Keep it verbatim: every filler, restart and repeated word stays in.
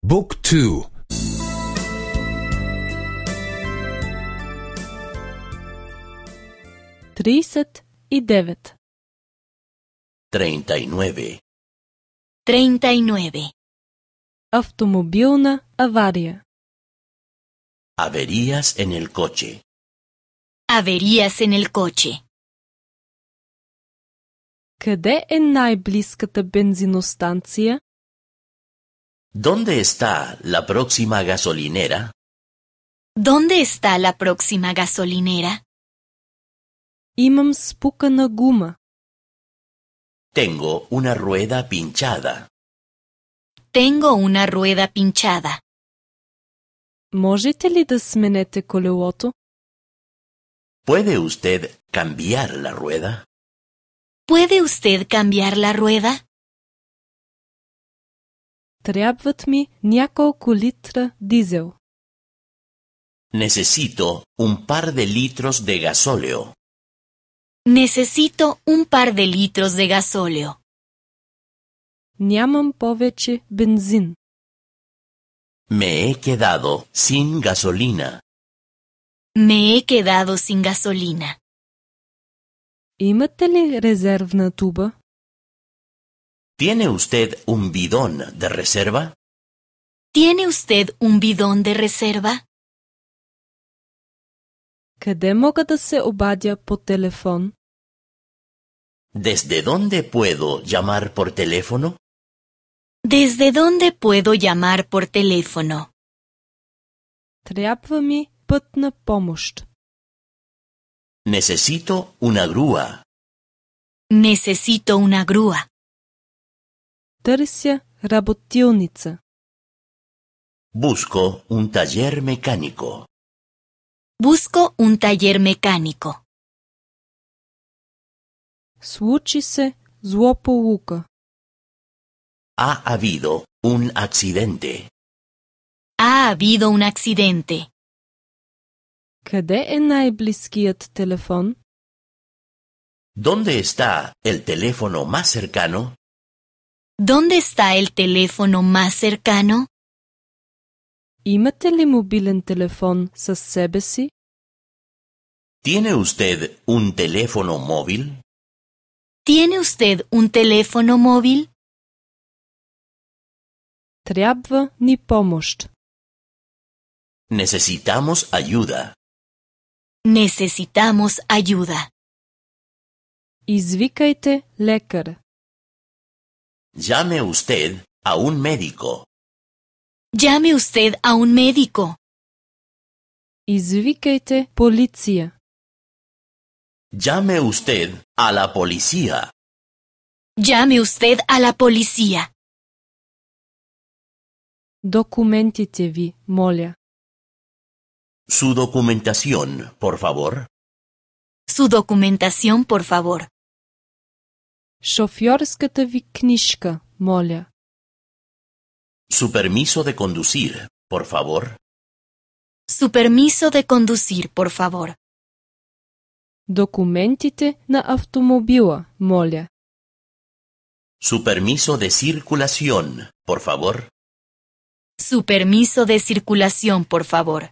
Book two. тридесет и девет. Treinta y nueve. Treinta y nueve. Автомобилна авария. Averías en el coche. Averías en el coche. Къде е най-близката бензиностанция? ¿Dónde está la próxima gasolinera? ¿Dónde está la próxima gasolinera? Имам спукана гума. Tengo una rueda pinchada. Tengo una rueda pinchada. Можете ли да сменете колелото? ¿Puede usted cambiar la rueda? ¿Puede usted cambiar la rueda? Трябват ми няколко литра дизел. Necesito un par de litros de gasóleo. Necesito un par de litros de gasóleo. Нямам повече бензин. Me he quedado sin gasolina. Me he quedado sin gasolina. Имате ли резервна туба? ¿Tiene usted un bidón de reserva? ¿Tiene usted un bidón de reserva? Къде мога да се обадя по телефон? ¿Desde dónde puedo llamar por teléfono? ¿Desde dónde puedo llamar por teléfono? Трябва ми пътна помощ. Necesito una grúa. Necesito una grúa. Търся работилница. Busco un taller mecánico. Busco un taller mecánico. Случи се злополука. Ha habido un accidente. Ha habido un accidente. Къде е най-близкият телефон? ¿Dónde está el teléfono más cercano? ¿Dónde está el teléfono más cercano? Имате ли мобилен телефон със себе си? ¿Tiene usted un teléfono móvil? ¿Tiene usted un teléfono móvil? Трябва ни помощ. Necesitamos ayuda. Necesitamos ayuda. Извикайте лекар. Llame usted a un médico. Llame usted a un médico. Извикайте полиция. Llame usted a la policía. Llame usted a la policía. Документите ви, моля. Su documentación, por favor. Su documentación, por favor. Шофьорската ви книжка, моля. Su permiso de conducir, por favor. Su permiso de conducir, por favor. Документите на автомобила, моля. Su permiso de circulación, por favor. Su permiso de circulación, por favor.